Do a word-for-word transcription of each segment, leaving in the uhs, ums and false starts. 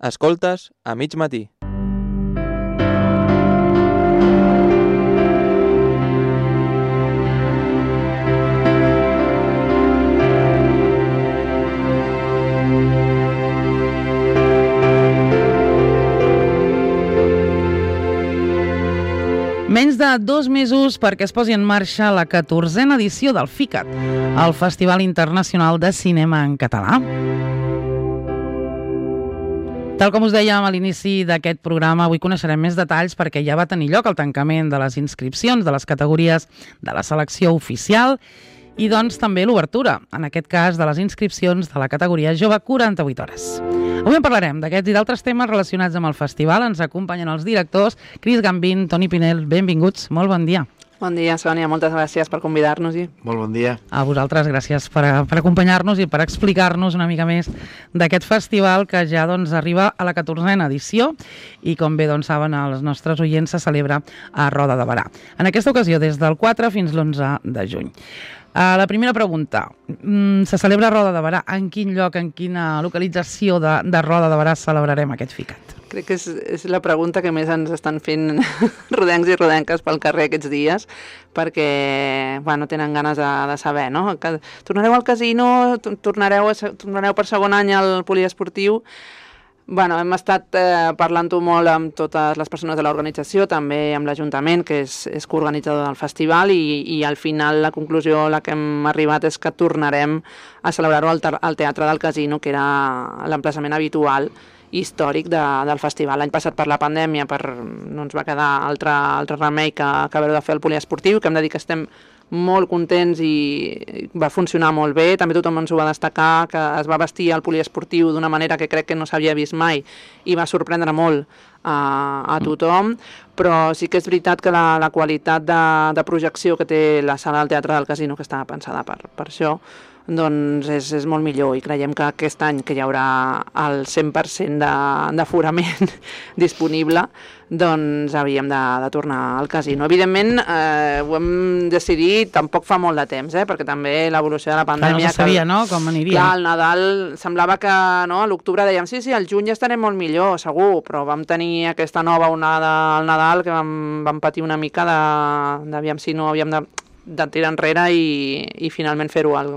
Escoltes a mig matí. Menys de dos mesos perquè es posi en marxa la catorzena edició del FICAT, el Festival Internacional de Cinema en Català. Tal com us dèiem a l'inici d'aquest programa, avui coneixerem més detalls perquè ja va tenir lloc el tancament de les inscripcions de les categories de la selecció oficial i doncs també l'obertura, en aquest cas de les inscripcions de la categoria jove quaranta-vuit hores. Avui en parlarem d'aquests i d'altres temes relacionats amb el festival. Ens acompanyen els directors Cris Gambín, Toni Pinel, benvinguts, molt bon dia. Bon dia, Sònia, moltes gràcies per convidar-nos-hi. Molt bon dia. A vosaltres, gràcies per, per acompanyar-nos i per explicar-nos una mica més d'aquest festival que ja doncs, arriba a la catorzena edició i, com bé doncs, saben els nostres oients, se celebra a Roda de Berà. En aquesta ocasió, des del quatre fins l'onze de juny. Uh, la primera pregunta, mm, se celebra a Roda de Berà. En quin lloc, en quina localització de, de Roda de Berà celebrarem aquest FICAT? Crec que és, és la pregunta que més ens estan fent rodencs i rodenques pel carrer aquests dies, perquè bueno, tenen ganes de, de saber, no? Que tornareu al casino, tornareu, a, tornareu per segon any al poliesportiu. Bueno, hem estat eh, parlant-ho molt amb totes les persones de l'organització, també amb l'Ajuntament, que és, és coorganitzador del festival, i, i al final la conclusió a la que hem arribat és que tornarem a celebrar-ho al, al Teatre del Casino, que era l'emplaçament habitual històric de, del festival. L'any passat per la pandèmia per, no ens va quedar altre, altre remei que, que haver-ho de fer el poliesportiu, que hem de dir que estem molt contents i va funcionar molt bé. També tothom ens ho va destacar, que es va vestir el poliesportiu d'una manera que crec que no s'havia vist mai i va sorprendre molt a, a tothom, però sí que és veritat que la, la qualitat de, de projecció que té la sala del Teatre del Casino, que estava pensada per, per això, doncs és, és molt millor, i creiem que aquest any que hi haurà el cent per cent d'aforament disponible, doncs havíem de, de tornar al casino. Evidentment, eh, ho hem decidit tampoc fa molt de temps, eh, perquè també l'evolució de la pandèmia... Clar, no se sabia, que, no?, com aniria. Clar, al Nadal semblava que no, a l'octubre dèiem sí, sí, al juny ja estarem molt millor, segur, però vam tenir aquesta nova onada al Nadal que vam, vam patir una mica d'aviam si no havíem de, de tirar enrere i, i finalment fer-ho al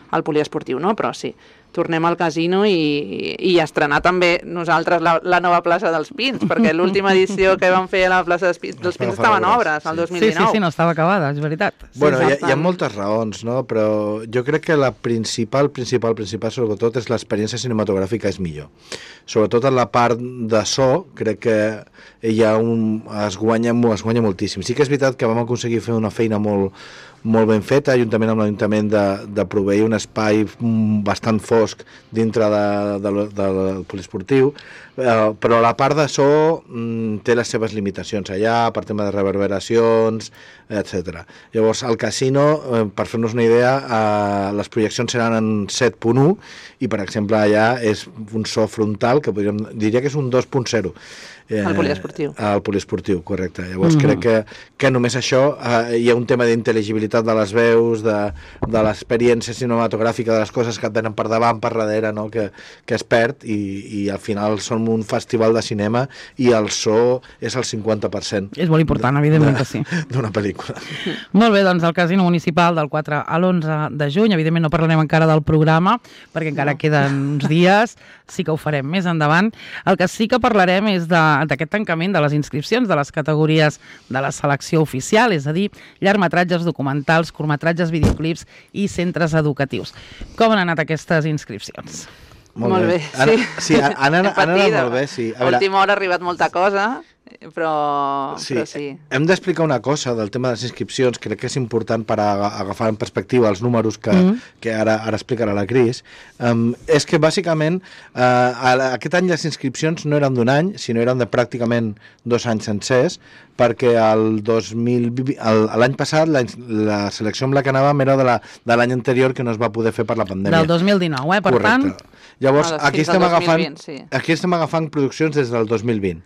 al poliesportiu, no? Però sí, tornem al casino i, i estrenar també nosaltres la, la nova plaça dels Pins, perquè l'última edició que vam fer a la plaça dels Pins, dels Pins estava en obres, el dos mil dinou. Sí, sí, sí, no estava acabada, és veritat. Bueno, sí, hi, ha, hi ha moltes raons, no? Però jo crec que la principal, principal, principal, sobretot, és l'experiència cinematogràfica és millor. Sobretot en la part de so, crec que hi ha un, es, guanya, es guanya moltíssim. Sí que és veritat que vam aconseguir fer una feina molt, molt ben feta, juntament amb l'Ajuntament, de, de proveir un espai bastant fosc dintre de, de, de, del poliesportiu, eh, però la part de so mm, té les seves limitacions allà, per tema de reverberacions, etcètera. Llavors, al casino, eh, per fer-nos una idea, eh, les projeccions seran en set punt u i, per exemple, allà és un so frontal que podríem, diria que és un dos punt zero. Eh, al poliesportiu. Al poliesportiu, correcte. Llavors mm. crec que, que només això, eh, hi ha un tema d'intel·ligibilitat de les veus, de, de l'experiència cinematogràfica, de les coses que et venen per davant, per darrere, no? que, que es perd, i, i al final som un festival de cinema i el so és el cinquanta per cent. És molt important, evidentment que sí. D'una pel·lícula. Molt bé, doncs el Casino Municipal del quatre a l'onze de juny, evidentment no parlarem encara del programa, perquè encara no. queden uns dies, sí que ho farem més endavant. El que sí que parlarem és de d'aquest tancament de les inscripcions de les categories de la selecció oficial, és a dir, llargmetratges, documentals, curtmetratges, videoclips i centres educatius. Com han anat aquestes inscripcions? Molt, molt bé, bé. Ana, sí. Sí, han, han, han anat molt bé, sí. A última hora ha arribat molta cosa, però sí. Però sí. Hem d'explicar una cosa del tema de les inscripcions, crec que és important per agafar en perspectiva els números que, mm. que ara, ara explicarà la Cris. Um, és que bàsicament uh, aquest any les inscripcions no eren d'un any, sinó eren de pràcticament dos anys sencers, perquè el dos mil vint, l'any passat la, la selecció amb la que anàvem era de l'any anterior, que no es va poder fer per la pandèmia. Del dos mil dinou, eh? Per Correcte. tant... Llavors, no, aquí, estem agafant, vint, sí. aquí estem agafant produccions des del dos mil vint.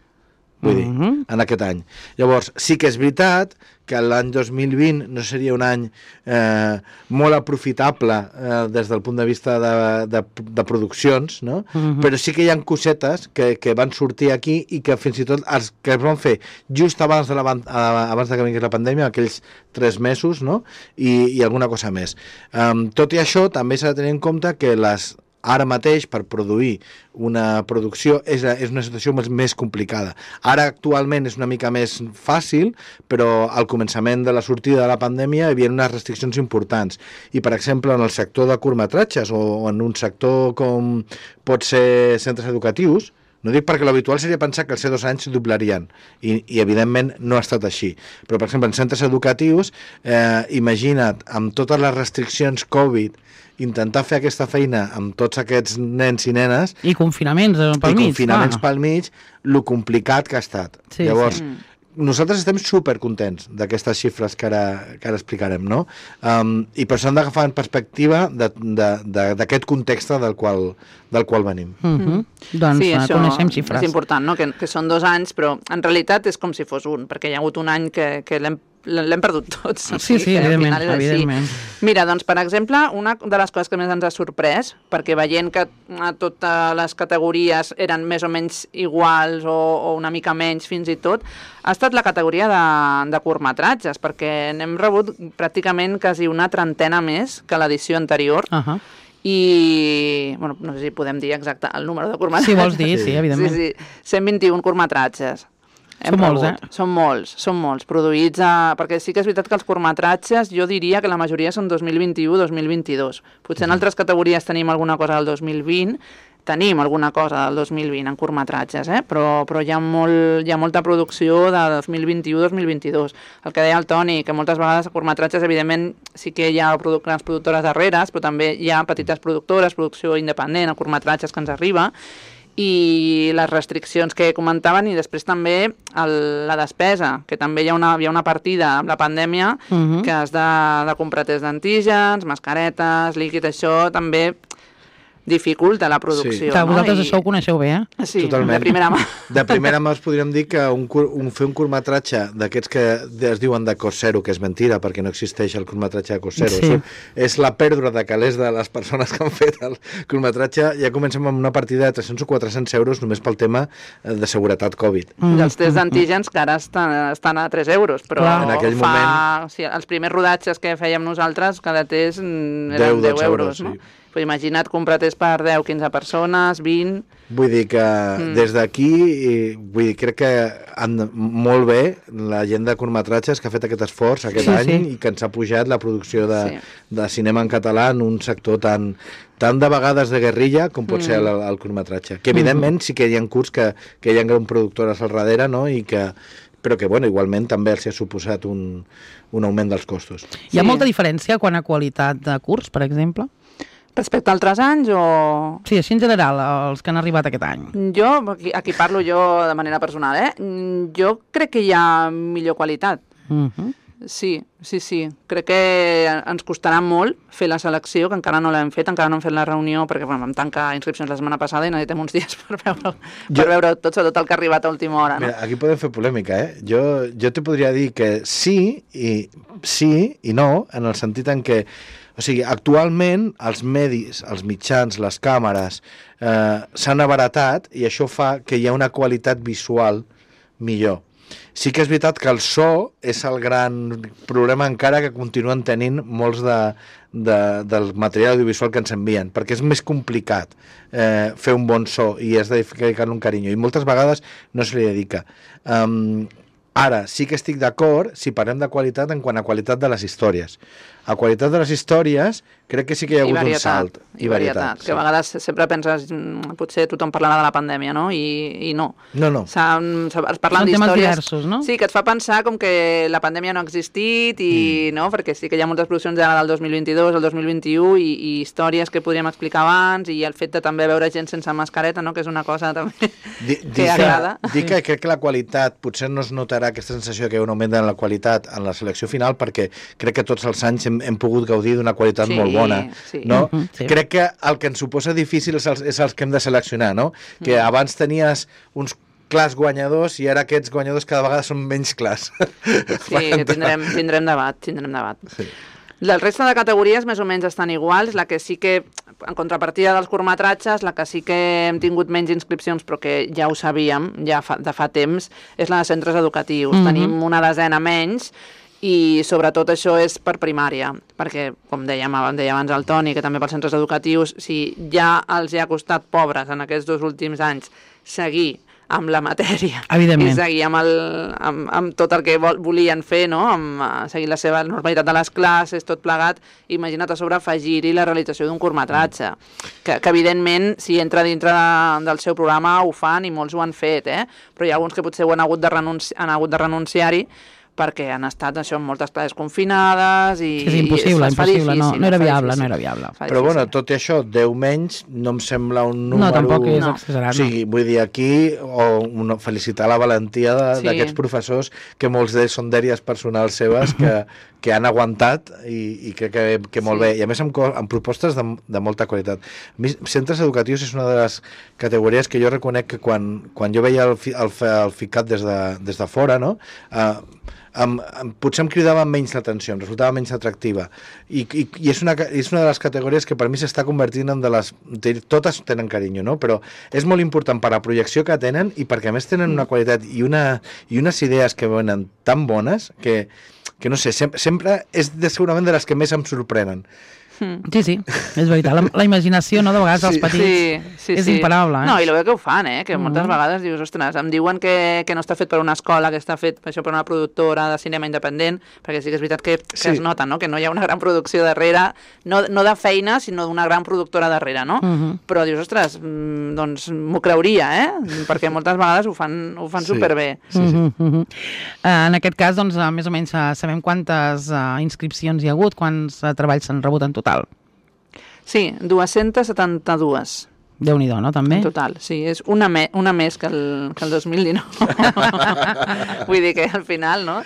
vull dir, Mhm. en aquest any. Llavors, sí que és veritat que l'any dos mil vint no seria un any eh, molt aprofitable eh, des del punt de vista de, de, de produccions, no? Mhm. Però sí que hi ha cosetes que, que van sortir aquí i que fins i tot els que es van fer just abans de, la, ban- a- abans de que vingués la pandèmia, aquells tres mesos, no? I, i alguna cosa més. Um, tot i això, també s'ha de tenir en compte que les ara mateix, per produir una producció, és, és una situació més, més complicada. Ara, actualment, és una mica més fàcil, però al començament de la sortida de la pandèmia hi havia unes restriccions importants. I, per exemple, en el sector de curtmetratges o en un sector com pot ser centres educatius, no dic perquè l'habitual seria pensar que els C dos anys s'hi doblarien, i, i evidentment no ha estat així. Però, per exemple, en centres educatius, eh, imagina't, amb totes les restriccions Covid, intentar fer aquesta feina amb tots aquests nens i nenes I confinaments eh, pel i mig. confinaments clar. pel mig, lo complicat que ha estat. Sí, Llavors, sí. nosaltres estem supercontents d'aquestes xifres que ara, que ara explicarem, no? Um, I per això hem d'agafar en perspectiva d'aquest context del qual, del qual venim. Mhm. Mm. Doncs Sí, eh, això coneixem xifres. és important, no? que, que són dos anys, però en realitat és com si fos un, perquè hi ha hagut un any que, que l'hem l'hem perdut tots. Sí, sí, que al evidentment, final és així. evidentment. Mira, doncs, per exemple, una de les coses que més ens ha sorprès, perquè veient que a totes les categories eren més o menys iguals o, o una mica menys fins i tot, ha estat la categoria de, de curtmetratges, perquè n'hem rebut pràcticament quasi una trentena més que l'edició anterior, Uh -huh. i, bueno, no sé si podem dir exacte el número de curtmetratges. Si vols dir, sí, evidentment. Sí, sí, cent vint-i-un curtmetratges. Són molts, eh? Són molts, són molts, produïts a... Perquè sí que és veritat que els curtmetratges, jo diria que la majoria són dos mil vint-i-u dos mil vint-i-dos. Potser en altres categories tenim alguna cosa del dos mil vint, tenim alguna cosa del dos mil vint en curtmetratges, eh? però, però hi, ha molt, hi ha molta producció de dos mil vint-i-u dos mil vint-i-dos. El que deia el Toni, que moltes vegades a curtmetratges, evidentment, sí que hi ha produ grans productores darreres, però també hi ha petites productores, producció independent, a curtmetratges que ens arriba, i les restriccions que comentaven, i després també el, la despesa, que també hi ha una, hi ha una partida amb la pandèmia Uh -huh. que has de, de comprar test d'antígens, mascaretes, líquid, això també dificulta la producció. Sí. Clar, no? vosaltres I... això ho coneixeu bé, eh? Sí, Totalment. de primera mà. De primera mà us podríem dir que un, cur- un, fer un curtmetratge d'aquests que es diuen de cost zero, que és mentira, perquè no existeix el curtmetratge de cost zero. Sí. Això és la pèrdua de calés de les persones que han fet el curtmetratge. Ja comencem amb una partida de tres-cents o quatre-cents euros només pel tema de seguretat Covid. I els tests d'antígens que ara estan, estan a tres euros, però Clar. En aquell fa... moment- O sigui, els primers rodatges que fèiem nosaltres, cada test mm, deu, eren deu dotze euros, euros, no? sí. Però imagina't comprar test per deu quinze persones, vint... Vull dir que mm. des d'aquí, i vull dir, crec que han, molt bé la gent de curtmetratges que ha fet aquest esforç aquest Sí, any sí. i que ens ha pujat la producció de, Sí. de cinema en català en un sector tan, tan de vegades de guerrilla com pot Mm. ser el, el curtmetratge. Que evidentment sí que hi ha curts que, que hi ha grans productores al darrere, no? I que, però que bueno, igualment també els ha suposat un, un augment dels costos. Hi ha Sí. molta diferència quan a qualitat de curs, per exemple? Respecte a altres anys o... Sí, així en general, els que han arribat aquest any. Jo, aquí, aquí parlo jo de manera personal, eh? Mm, Jo crec que hi ha millor qualitat. Uh -huh. Sí, sí, sí. Crec que ens costarà molt fer la selecció, que encara no l'hem fet, encara no hem fet la reunió, perquè bueno, vam tancar inscripcions la setmana passada i necessitem uns dies per veure, per Jo- veure tot, sobretot el que ha arribat a última hora. No? Mira, aquí podem fer polèmica, eh? Jo, jo te podria dir que sí i, sí i no, en el sentit en què, o sigui, actualment els medis, els mitjans, les càmeres eh, s'han abaratat i això fa que hi ha una qualitat visual millor. Sí que és veritat que el so és el gran problema encara que continuen tenint molts de, de, del material audiovisual que ens envien, perquè és més complicat eh, fer un bon so i has de dedicar-li un carinyo, i moltes vegades no se li dedica. Um, ara, sí que estic d'acord si parlem de qualitat en quant a qualitat de les històries. A qualitat de les històries crec que sí que hi ha hagut un salt. I varietat, que a vegades sempre penses, mm, potser tothom parlarà de la pandèmia, no? I, i no. No, no. S'han- s'ha- Es parlen Són temes d'històries... diversos, no? Sí, que et fa pensar com que la pandèmia no ha existit, i, mm. no? Perquè sí que hi ha moltes produccions ja del dos mil vint-i-dos, el dos mil vint-i-u, i, i històries que podríem explicar abans, i el fet de també veure gent sense mascareta, no? Que és una cosa també Di, que dic agrada. Dic que crec que la qualitat, potser no es notarà aquesta sensació que hi ha un augment en la qualitat en la selecció final, perquè crec que tots els anys hem, hem pogut gaudir d'una qualitat Sí, molt bona. sí. No? Mhm, sí. Crec que el que ens suposa difícil és els, és els que hem de seleccionar, no? Que abans tenies uns clars guanyadors i ara aquests guanyadors cada vegada són menys clars. Sí, tindrem, tindrem debat, tindrem debat. Sí. La resta de categories més o menys estan iguals, la que sí que, en contrapartida dels curtmetratges, la que sí que hem tingut menys inscripcions, però que ja ho sabíem ja fa, de fa temps, és la de centres educatius. Mm-hmm. Tenim una desena menys, i sobretot això és per primària, perquè, com dèiem, deia abans el Toni, que també pels centres educatius, si ja els hi ha costat pobres en aquests dos últims anys seguir amb la matèria i seguir amb, el, amb, amb tot el que vol, volien fer, no? Amb, uh, seguir la seva normalitat de les classes, tot plegat, imagina't a sobre afegir-hi la realització d'un curtmetratge, que, que evidentment si entra dintre de, del seu programa ho fan i molts ho han fet, eh? Però hi ha alguns que potser ho han hagut de, renunci han hagut de renunciar-hi perquè han estat això en moltes classes confinades i... És impossible, i impossible, no, no era viable, no era viable. Però bueno, tot i això, deu menys no em sembla un número... No, tampoc és exagerat, no. O sigui, vull dir, aquí, o una, felicitar la valentia d'aquests sí. professors, que molts d'ells són dèries personals seves, que, que han aguantat i, i crec que, que molt sí. bé. I a més amb, amb propostes de, de molta qualitat. A mi, centres educatius és una de les categories que jo reconec que quan, quan jo veia el, el, el FICAT des de, des de fora, no?, uh, Em, em, potser em cridava menys l'atenció, em resultava menys atractiva i, i, i és, una, és una de les categories que per mi s'està convertint en de les... Totes tenen carinyo, no? Però és molt important per la projecció que tenen i perquè a més tenen una qualitat i, una, i unes idees que venen tan bones que, que no sé, sempre, sempre és de, segurament de les que més em sorprenen. Sí, sí, és veritat. La, la imaginació, no, de vegades, dels sí. petits sí, sí, és sí. imparable. Eh? No, i el bé que ho fan, eh? Que moltes mm. vegades dius, ostres, em diuen que, que no està fet per una escola, que està fet per, això, per una productora de cinema independent, perquè sí que és veritat que, que sí. es nota, no?, que no hi ha una gran producció darrere, no, no de feina, sinó d'una gran productora darrere, no? Mm -hmm. Però dius, ostres, doncs m'ho creuria, eh? Perquè moltes vegades ho fan, ho fan sí. superbé. Sí, sí. Mm -hmm. uh, en aquest cas, doncs, uh, més o menys uh, sabem quantes uh, inscripcions hi ha hagut, quants uh, treballs s'han rebut en total. Sí, dues-centes setanta-dues. Déu-n'hi-do, no, també? En total, sí, és una, me una més que el, que el dos mil dinou. Vull dir que al final, no?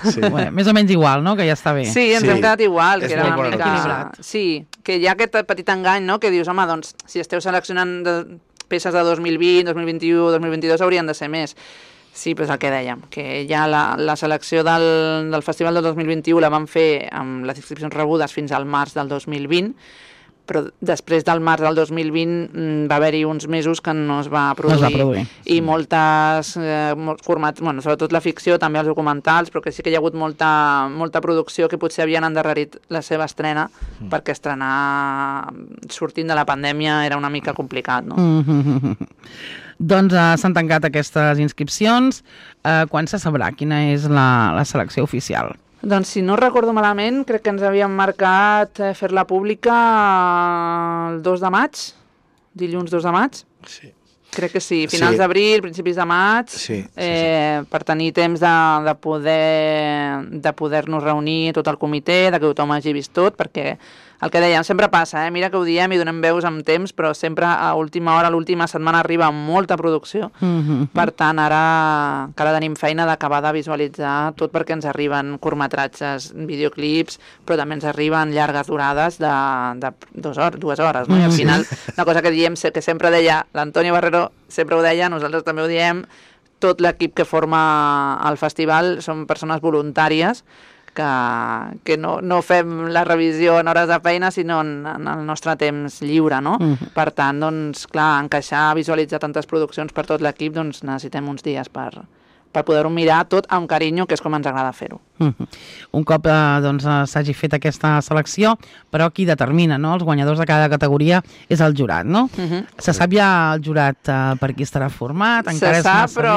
Sí. Bueno, més o menys igual, no?, que ja està bé. Sí, ens sí. hem quedat igual, és que era una mica... equilibrat. Sí, que hi ha aquest petit engany, no?, que dius, home, doncs, si esteu seleccionant de peces de dos mil vint, dos mil vint-i-u, dos mil vint-i-dos, haurien de ser més. Sí, però és el que dèiem, que ja la, la selecció del, del Festival del dos mil vint-i-u la vam fer amb les inscripcions rebudes fins al març del dos mil vint, però després del març del dos mil vint va haver-hi uns mesos que no es va produir, no es va produir. i sí. moltes eh, formats, bueno, sobretot la ficció, també els documentals, però que sí que hi ha hagut molta, molta producció que potser havien endarrerit la seva estrena, mm. perquè estrenar sortint de la pandèmia era una mica complicat, no? Mm-hmm. Doncs uh, s'han tancat aquestes inscripcions. Uh, quan se sabrà quina és la, la selecció oficial? Doncs si no recordo malament, crec que ens havíem marcat eh, fer-la pública el dos de maig, dilluns dos de maig. Sí. Crec que sí, finals sí. d'abril, principis de maig, sí, sí, eh, sí. per tenir temps de, de poder de poder-nos reunir tot el comitè, de que tothom hagi vist tot, perquè el que dèiem sempre passa, eh? Mira que ho diem i donem veus amb temps, però sempre a última hora, a l'última setmana arriba molta producció. Mm-hmm. Per tant, ara encara tenim feina d'acabar de visualitzar tot, perquè ens arriben curtmetratges, videoclips, però també ens arriben llargues durades de, de dues hores, dues hores, no? Mm-hmm. I al final, una cosa que diem, que sempre deia l'Antonio Barrero, sempre ho deia, nosaltres també ho diem, tot l'equip que forma el festival són persones voluntàries que, que no, no fem la revisió en hores de feina, sinó en, en el nostre temps lliure, no? Mm-hmm. Per tant, doncs, clar, encaixar, visualitzar tantes produccions per tot l'equip, doncs necessitem uns dies per, per poder-ho mirar tot amb carinyo, que és com ens agrada fer-ho. Mm-hmm. Un cop eh, doncs, s'hagi fet aquesta selecció, però qui determina, no?, els guanyadors de cada categoria és el jurat, no? Mm-hmm. Se sap ja el jurat eh, per qui estarà format? Encara Se sap, però,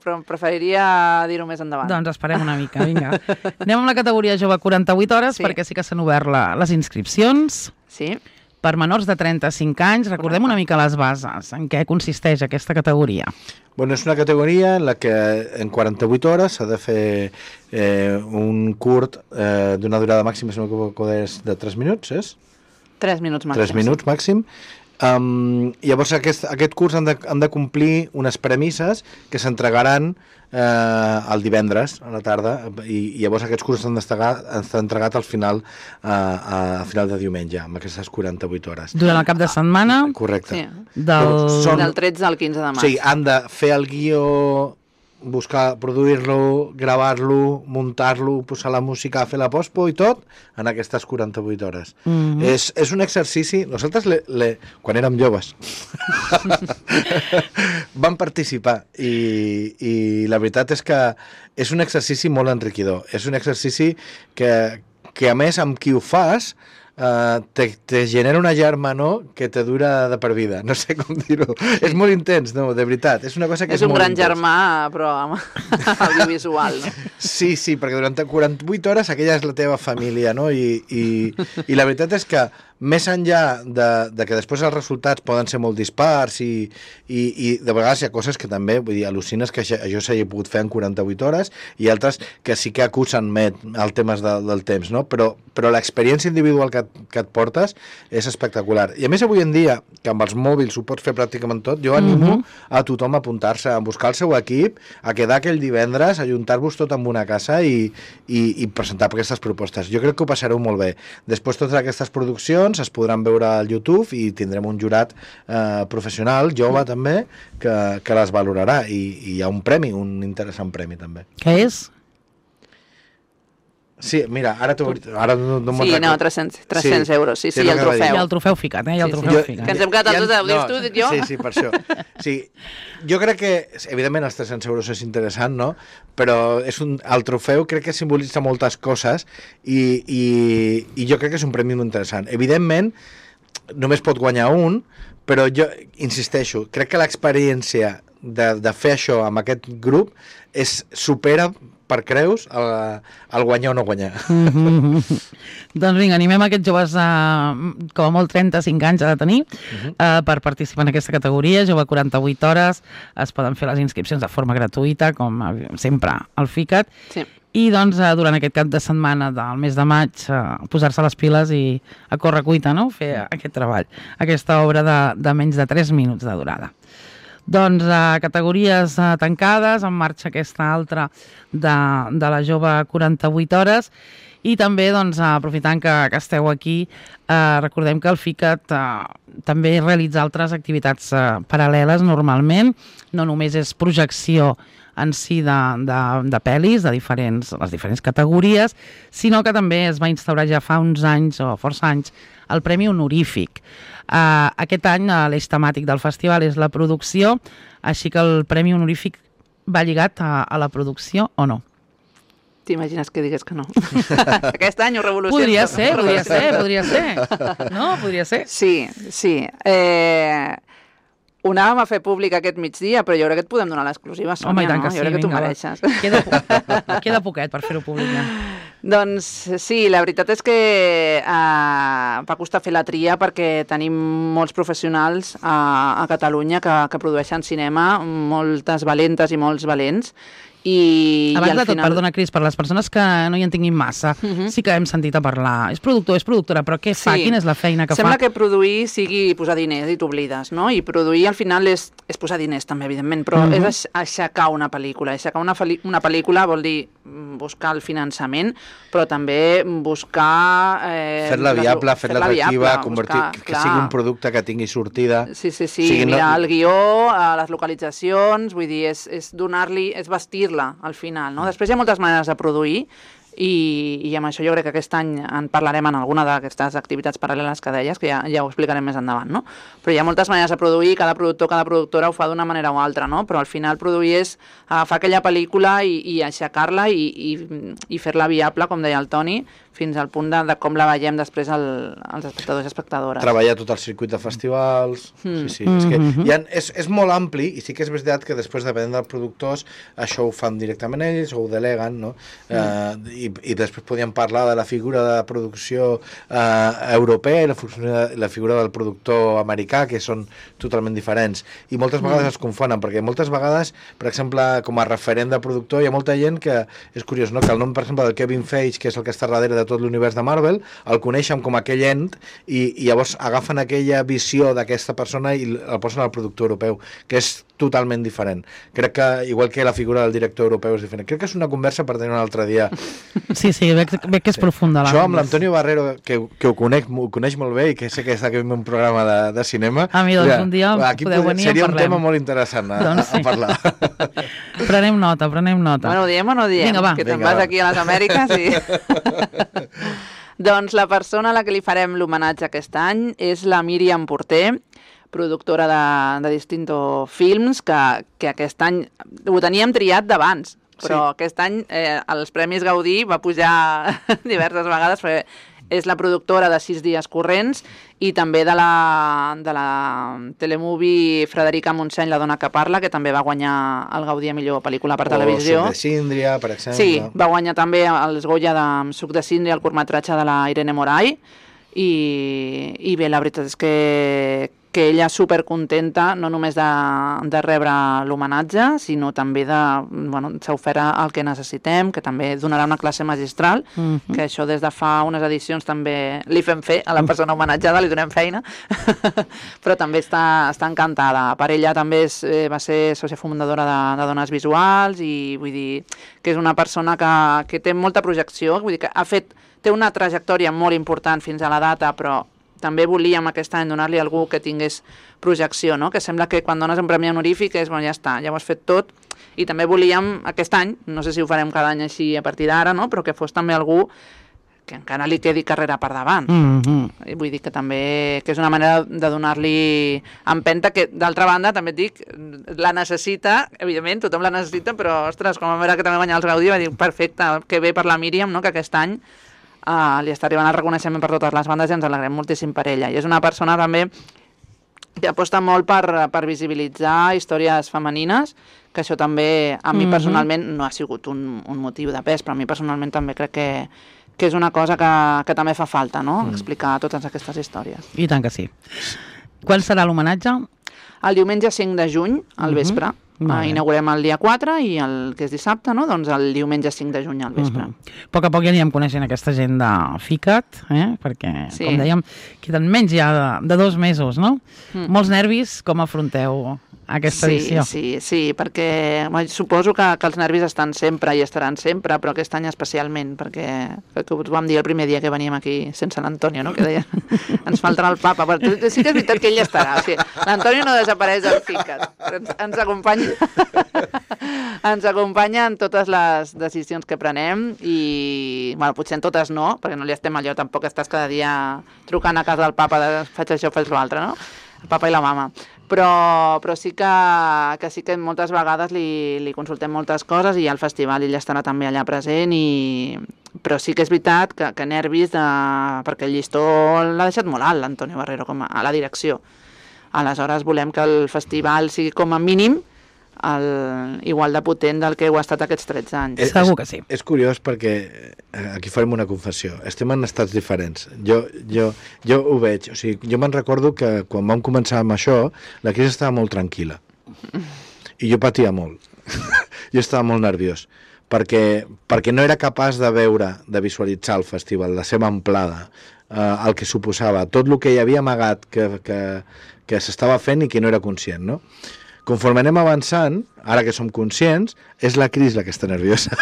però preferiria dir-ho més endavant. Doncs esperem una mica, vinga. Anem amb la categoria jove quaranta-vuit hores, sí. perquè sí que s'han obert la, les inscripcions. Sí. Per menors de trenta-cinc anys, recordem una mica les bases. En què consisteix aquesta categoria? Bueno, és una categoria en la que en quaranta-vuit hores s'ha de fer eh, un curt eh, d'una durada màxima, si no m'equivoco, de tres minuts, és? tres minuts màxim. tres minuts màxim, Um, llavors aquest, aquest curs han de, han de complir unes premisses que s'entregaran eh, el divendres a la tarda i, i llavors aquests cursos s'han entregat al final eh, a final de diumenge amb aquestes quaranta-vuit hores. Durant el cap de setmana? Correcte. Sí. Del... Són... del tretze al quinze de març. Sí, han de fer el guió, buscar, produir-lo, gravar-lo, muntar-lo, posar la música, fer la pospo i tot en aquestes quaranta-vuit hores. Mm-hmm. És, és un exercici... Nosaltres, le, le, quan érem joves, vam participar i, i la veritat és que és un exercici molt enriquidor. És un exercici que, que a més, amb qui ho fas, Uh, te, te genera una germanor que te dura de per vida, no sé com dir-ho. És molt intens, no, de veritat. És una cosa que és, és un molt gran intens. germà, però audiovisual, no? Sí, sí, perquè durant quaranta-vuit hores aquella és la teva família, no? I, i, i la veritat és que més enllà de, de que després els resultats poden ser molt dispars i, i, i de vegades hi ha coses que també, vull dir, al·lucines que això, això s'hagi pogut fer en quaranta-vuit hores i altres que sí que acusen més el temes de, del temps, no? Però, però l'experiència individual que, que et portes és espectacular. I a més avui en dia, que amb els mòbils ho pots fer pràcticament tot, jo animo mm-hmm. a tothom a apuntar-se, a buscar el seu equip, a quedar aquell divendres, a ajuntar-vos tot en una casa i, i, i presentar aquestes propostes. Jo crec que ho passareu molt bé. Després totes aquestes produccions es podran veure al YouTube i tindrem un jurat eh, professional, jove també, que, que les valorarà i, i hi ha un premi, un interessant premi també. Què és? Sí, mira, ara, ara no, no sí, no, tres-cents, tres-cents sí. euros, sí, sí, sí el trofeu. I el trofeu ficat, eh? I el sí, trofeu sí. ficat. Que ens hem quedat tots, ho dius tu, dic jo? Sí, sí, per això. Sí, jo crec que, evidentment, els tres-cents euros és interessant, no? Però és un, el trofeu crec que simbolitza moltes coses i, i, i jo crec que és un premi molt interessant. Evidentment, només pot guanyar un, però jo insisteixo, crec que l'experiència de, de fer això amb aquest grup és supera per creus el, el guanyar o no guanyar. Mm-hmm. Doncs vinga, animem aquests joves a, com a molt trenta-cinc anys ha de tenir mm-hmm. uh, per participar en aquesta categoria, jove quaranta-vuit hores, es poden fer les inscripcions de forma gratuïta, com sempre al FICAT, sí. I doncs durant aquest cap de setmana del mes de maig uh, posar-se les piles i a córrer cuita, no? Fer aquest treball, aquesta obra de, de menys de tres minuts de durada. Doncs a categories uh, tancades, en marxa aquesta altra de, de la jove quaranta-vuit hores i també doncs, aprofitant que, que esteu aquí, eh, recordem que el FICAT eh, també realitza altres activitats eh, paral·leles normalment, no només és projecció en si de, de, de pel·lis de diferents, les diferents categories, sinó que també es va instaurar ja fa uns anys o força anys el Premi Honorífic. Uh, aquest any uh, l'eix temàtic del festival és la producció, així que el Premi Honorífic va lligat a, a la producció o no? T'imagines que digués que no? Aquest any ho revoluciona. Podria ser, podria ser, podria ser. No, podria ser. Sí, sí. Eh... Ho anàvem a fer públic aquest migdia, però jo crec que et podem donar l'exclusiva, Sònia, Home, i tant que no? sí, Jo crec que t'ho vinga, mereixes. Queda, queda poquet per fer-ho públic, ja. Doncs sí, la veritat és que eh, va costar fer la tria perquè tenim molts professionals a, a Catalunya que, que produeixen cinema, moltes valentes i molts valents, I, abans i de tot, final... perdona, Cris, per les persones que no hi entenguin massa, uh -huh. sí que hem sentit a parlar. És productor, és productora, però què fa? Sí. Quina és la feina que Sembla fa? Sembla que produir sigui posar diners i t'oblides, no? I produir al final és, és posar diners també, evidentment, però uh -huh. és aixecar una pel·lícula. Aixecar una, una pel·lícula vol dir buscar el finançament, però també buscar... Eh, fer-la viable, fer-la fer atractiva, convertir, buscar, que clar. sigui un producte que tingui sortida. Sí, sí, sí, sigui, mirar no... el guió, les localitzacions, vull dir, és, és donar-li, és vestir al final, no? Després hi ha moltes maneres de produir i, i amb això jo crec que aquest any en parlarem en alguna d'aquestes activitats paral·leles que deies, que ja, ja ho explicarem més endavant, no? Però hi ha moltes maneres de produir, cada productor, cada productora ho fa d'una manera o altra, no? Però al final produir és agafar aquella pel·lícula i, i aixecar-la i, i, i fer-la viable, com deia el Toni, fins al punt de, de com la veiem després el, els espectadors i espectadores. Treballar tot el circuit de festivals... Mm. Sí, sí. Mm-hmm. És, que hi ha, és, és molt ampli i sí que és veritat que després, depenent dels productors, això ho fan directament ells o ho deleguen, no? Mm. Eh, i, I després podríem parlar de la figura de producció eh, europea i la, la figura del productor americà, que són totalment diferents. I moltes vegades mm. es confonen, perquè moltes vegades, per exemple, com a referent de productor, hi ha molta gent que, és curiós, no? Que el nom, per exemple, del Kevin Feige, que és el que està darrere de tot l'univers de Marvel, el coneixen com aquell ent i, i llavors agafen aquella visió d'aquesta persona i el posen al productor europeu, que és totalment diferent. Crec que, igual que la figura del director europeu és diferent, crec que és una conversa per tenir un altre dia. Sí, sí, veig, veig que és profunda. Això amb l'Antonio Barrero, que, que ho, conec, ho coneix molt bé i que sé que està aquí en un programa de, de cinema. A mi, doncs, ja, un dia aquí podeu venir i seria en un tema molt interessant a, doncs sí. a parlar. Prenem nota, prenem nota. Bueno, ho diem o no ho diem? Vinga, va. Que te'n Vinga, vas va. aquí a les Amèriques i... Doncs la persona a la que li farem l'homenatge aquest any és la Míriam Porter, productora de, de Distinto Films, que, que aquest any ho teníem triat d'abans, però sí. aquest any eh, als Premis Gaudí va pujar diverses vegades, perquè és la productora de Sis dies corrents i també de la, de la telemovie Frederica Montseny, La dona que parla, que també va guanyar el Gaudí a millor pel·lícula per televisió. O Suc de Síndria, per exemple. Sí, va guanyar també els Goya de Suc de Síndria, el curtmetratge de la Irene Moray, i, i bé, la veritat és que, que ella supercontenta no només de, de rebre l'homenatge, sinó també de, bueno, s'ha ofert el que necessitem, que també donarà una classe magistral, uh-huh. que això des de fa unes edicions també li fem fer a la persona homenatjada, li donem feina, però també està, està encantada. Per ella també és, eh, va ser sòcia fundadora de, de Dones Visuals i vull dir que és una persona que, que té molta projecció, vull dir que ha fet, té una trajectòria molt important fins a la data, però també volíem aquest any donar-li a algú que tingués projecció, no? Que sembla que quan dones un premi honorífic és, bueno, ja està, ja ho has fet tot, i també volíem aquest any, no sé si ho farem cada any així a partir d'ara, no? Però que fos també algú que encara li quedi carrera per davant. Mm-hmm. Vull dir que també que és una manera de donar-li empenta, que d'altra banda també et dic, la necessita, evidentment, tothom la necessita, però ostres, com a veure que també guanyar els Gaudí, va dir, perfecte, que bé per la Míriam, no? Que aquest any Uh, li està arribant el reconeixement per totes les bandes i ens alegrem moltíssim per ella. I és una persona també que aposta molt per, per visibilitzar històries femenines, que això també a mi mm-hmm. personalment no ha sigut un, un motiu de pes, però a mi personalment també crec que, que és una cosa que, que també fa falta, no? Mm. Explicar totes aquestes històries. I tant que sí. Quan serà l'homenatge? El diumenge cinc de juny, al vespre. Mm-hmm. Uh, inaugurem el dia quatre i el que és dissabte, no? Doncs el diumenge cinc de juny al vespre. Uh-huh. A poc a poc ja anirem coneixent aquesta gent de FICAT, eh? Perquè, sí. com dèiem, queden menys ja de, de dos mesos, no? Mm. Molts nervis, com afronteu aquesta sí, edició? Sí, sí, perquè bueno, suposo que, que els nervis estan sempre i estaran sempre, però aquest any especialment, perquè que ho vam dir el primer dia que veníem aquí sense l'Antonio, no? Que deia, ens faltarà el papa. Però sí que és veritat que ell estarà. O sigui, l'Antonio no desapareix del FICAT, però ens, ens acompanya ens acompanya en totes les decisions que prenem i, bueno, potser en totes no, perquè no li estem allò, tampoc estàs cada dia trucant a casa del papa de faig això, faig l'altre, no? El papa i la mama. Però, però sí que, que sí que moltes vegades li, li consultem moltes coses i al festival ell estarà també allà present, i... però sí que és veritat que, que nervis de... perquè el llistó l'ha deixat molt alt l'Antonio Barrero com a, a la direcció. Aleshores volem que el festival sigui com a mínim el, igual de potent del que ho ha estat aquests tretze anys. És, Segur que sí. És, és curiós perquè aquí farem una confessió. Estem en estats diferents. Jo, jo, jo ho veig. O sigui, jo me'n recordo que quan vam començar amb això, la crisi estava molt tranquil·la. I jo patia molt. Jo estava molt nerviós. Perquè, perquè no era capaç de veure, de visualitzar el festival, la seva amplada, eh, el que suposava, tot el que hi havia amagat que, que, que s'estava fent i que no era conscient, no? Conforme anem avançant, ara que som conscients, és la Cris la que està nerviosa,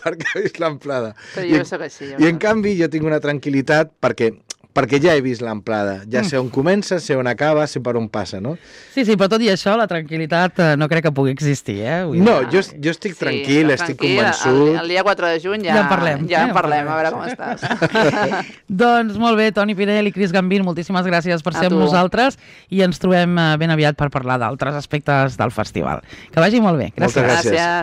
perquè ha vist l'amplada. Però jo I, soc així. Jo I en canvi jo tinc una tranquil·litat perquè, perquè ja he vist l'amplada, ja sé on comença, sé on acaba, sé per on passa, no? Sí, sí, però tot i això, la tranquil·litat eh, no crec que pugui existir, eh? Vull no, jo, jo estic tranquil, sí, estic tranquil, convençut. El, el dia quatre de juny ja, ja en parlem, ja eh? en parlem, a veure com estàs. Doncs molt bé, Toni Pinell i Cris Gambín, moltíssimes gràcies per ser amb nosaltres i ens trobem ben aviat per parlar d'altres aspectes del festival. Que vagi molt bé. Gràcies. Moltes gràcies. Gràcies.